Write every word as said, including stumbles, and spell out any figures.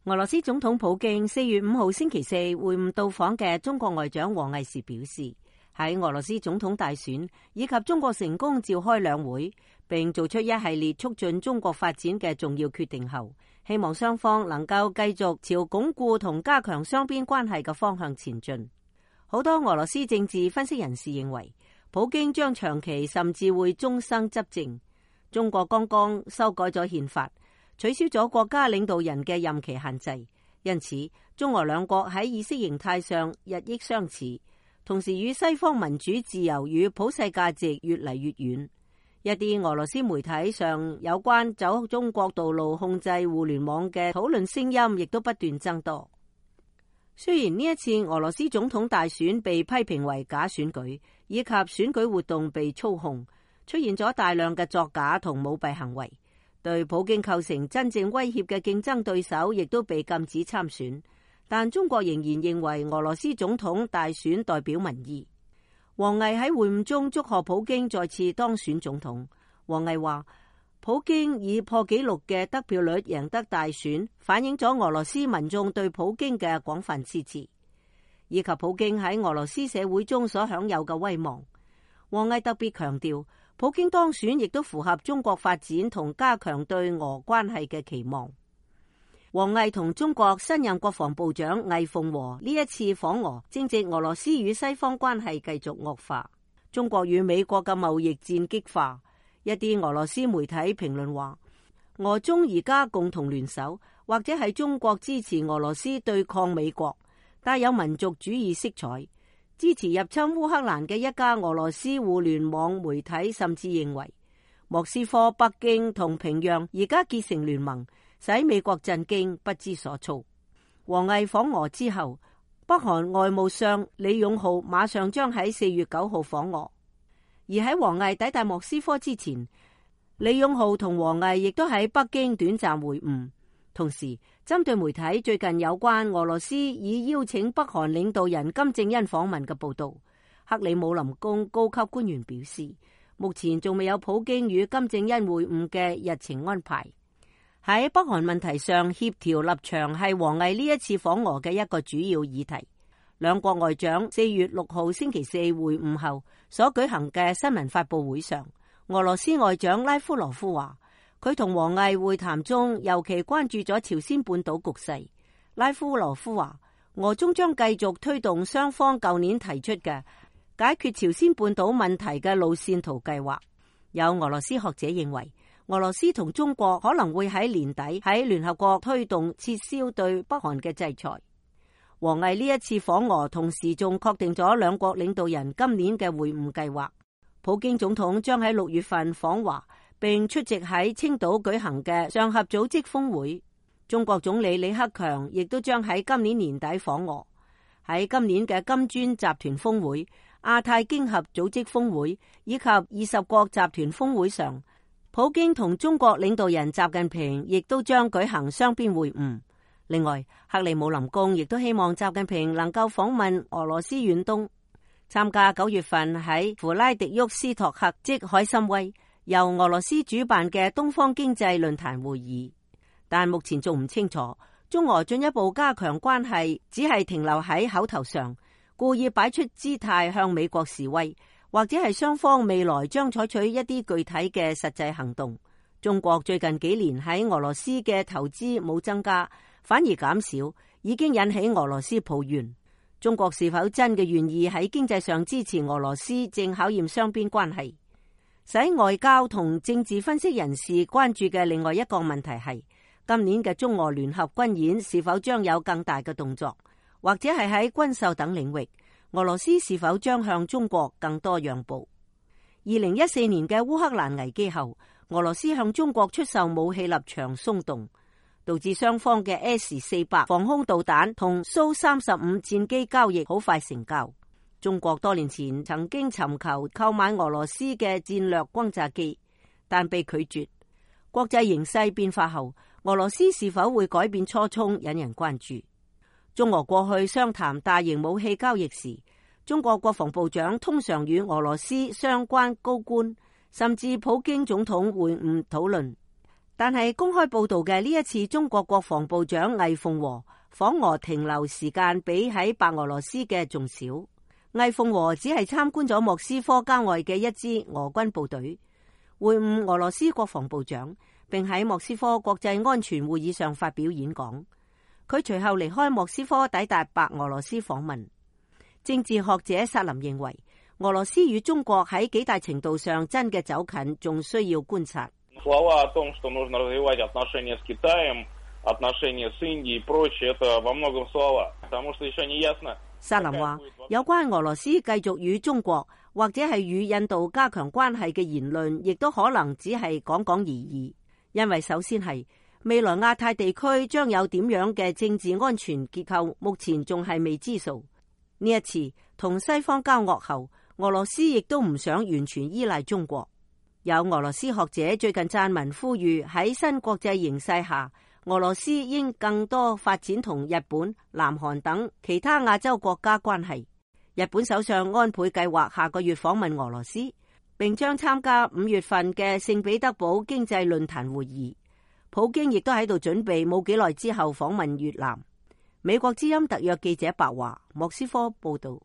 俄羅斯總統普京四月五號星期四會晤到訪嘅中國外長王毅時表示，喺俄羅斯總統大選以及中國成功召開兩會，並做出一系列促進中國發展嘅重要決定後，希望雙方能夠繼續朝鞏固同加強雙邊關係嘅方向前進。好多俄羅斯政治分析人士認為，普京將長期甚至會終生執政。中國剛剛修改咗憲法，取消咗國家領導人嘅任期限制，因此中俄兩國喺意識形態上日益相似，同時與西方民主自由與普世價值越嚟越遠。一啲俄羅斯媒體上有關走中國道路控制互聯網嘅討論聲音亦都不斷增多。雖然呢一次俄羅斯總統大選被批評為假選舉，以及選舉活動被操控，出現咗大量嘅作假同舞弊行為，對普京構成真正威脅嘅競爭對手亦都被禁止參選。但中國仍然認為俄羅斯總統大選代表民意。王毅喺會晤中祝賀普京再次當選總統。王毅話，普京以破紀錄嘅得票率贏得大選，反映咗俄羅斯民眾對普京嘅廣泛支持，以及普京喺俄羅斯社會中所享有嘅威望。王毅特別強調，普京當選亦都符合中國發展同加強對俄關係嘅期望。王毅同中國新任國防部長魏鳳和呢一次訪俄，正值俄羅斯與西方關係繼續惡化，中國與美國嘅貿易戰激化。一啲俄羅斯媒體評論話，俄中而家共同聯手，或者係中國支持俄羅斯對抗美國，帶有民族主義色彩。支持入侵烏克蘭嘅一家俄羅斯互聯網媒體甚至認為，莫斯科、北京同平壤而家結成聯盟，使美國震驚不知所措。王毅訪俄之後，北韓外務相李勇浩馬上將喺四月九號訪俄。而喺王毅抵達莫斯科之前，李勇浩同王毅亦都喺北京短暫會晤。同時，針對媒體最近有關俄羅斯已邀請北韓領導人金正恩訪問嘅報道，克里姆林宮高級官員表示，目前仲未有普京與金正恩會晤嘅日程安排。喺北韓問題上協調立場係王毅呢一次訪俄嘅一個主要議題。兩國外長四月六號星期四會晤後所舉行嘅新聞發佈會上，俄羅斯外長拉夫羅夫話，佢同王毅會談中尤其關注咗朝鮮半島局勢。拉夫羅夫話，俄中將繼續推動雙方舊年提出嘅解決朝鮮半島問題嘅路線圖計劃。有俄羅斯學者認為，俄羅斯同中國可能會喺年底喺聯合國推動撤銷對北韓嘅制裁。王毅呢一次訪俄，同時仲確定咗兩國領導人今年嘅會晤計劃。普京總統將喺六月份訪華，並出席喺青島舉行嘅上合組織峰會。中國總理李克強亦都將喺今年年底訪俄。喺今年嘅金磚集團峰會、亞太經合組織峰會以及二十國集團峰會上，普京同中國領導人習近平亦都將舉行雙邊會晤。另外，克里姆林宮亦都希望習近平能夠訪問俄羅斯遠東，參加九月份喺弗拉迪沃斯托克即海參崴由俄羅斯主辦嘅東方經濟論壇會議。但目前仲唔清楚中俄進一步加強關係只係停留喺口頭上，故意擺出姿態向美國示威，或者係雙方未來將採取一啲具體嘅實際行動。中國最近幾年喺俄羅斯嘅投資冇增加，反而減少，已經引起俄羅斯抱怨。中國是否真嘅願意喺經濟上支持俄羅斯，正考驗雙邊關係。使外交同政治分析人士關注嘅另外一個問題係，今年嘅中俄聯合軍演是否將有更大嘅動作，或者係喺軍售等領域，俄羅斯是否將向中國更多讓步。二零一四年嘅烏克蘭危機後，俄羅斯向中國出售武器立場鬆動，導致雙方嘅 S 四百防空導彈同蘇三十五戰機交易好快成交。中國多年前曾經尋求購買俄羅斯嘅戰略轟炸機，但被拒絕。國際形勢變化後，俄羅斯是否會改變初衷，引人關注。中俄過去商談大型武器交易時，中國國防部長通常與俄羅斯相關高官甚至普京總統會晤討論。但係公開報道嘅呢一次中國國防部長魏鳳和訪俄停留時間比喺白俄羅斯嘅仲少。魏鳳和只係參觀咗莫斯科郊外嘅一支俄軍部隊，會晤俄羅斯國防部長，並喺莫斯科國際安全會議上發表演講。佢隨後離開莫斯科，抵達白俄羅斯訪問。政治學者薩林認為，俄羅斯與中國喺幾大程度上真嘅走近，仲需要觀察。слова о том, что нужно развивать отношения с Китаем, отношения с Индией и прочее, это во многом слова, потому что еще не ясно. 薩林話，有關俄羅斯繼續與中國或者係與印度加強關係嘅言論，亦都可能只係講講而已。因為首先係未來亞太地區將有點樣嘅政治安全結構，目前仲係未知數。呢一次同西方交惡後，俄羅斯亦都唔想完全依賴中國。有俄羅斯學者最近撰文呼籲，喺新國際形勢下，俄羅斯應更多發展同日本、南韓等其他亞洲國家關係。日本首相安倍計劃下個月訪問俄羅斯，並將參加五月份嘅聖彼得堡經濟論壇會議。普京亦都喺度準備冇幾耐之後訪問越南。美國之音特約記者白華，莫斯科報道。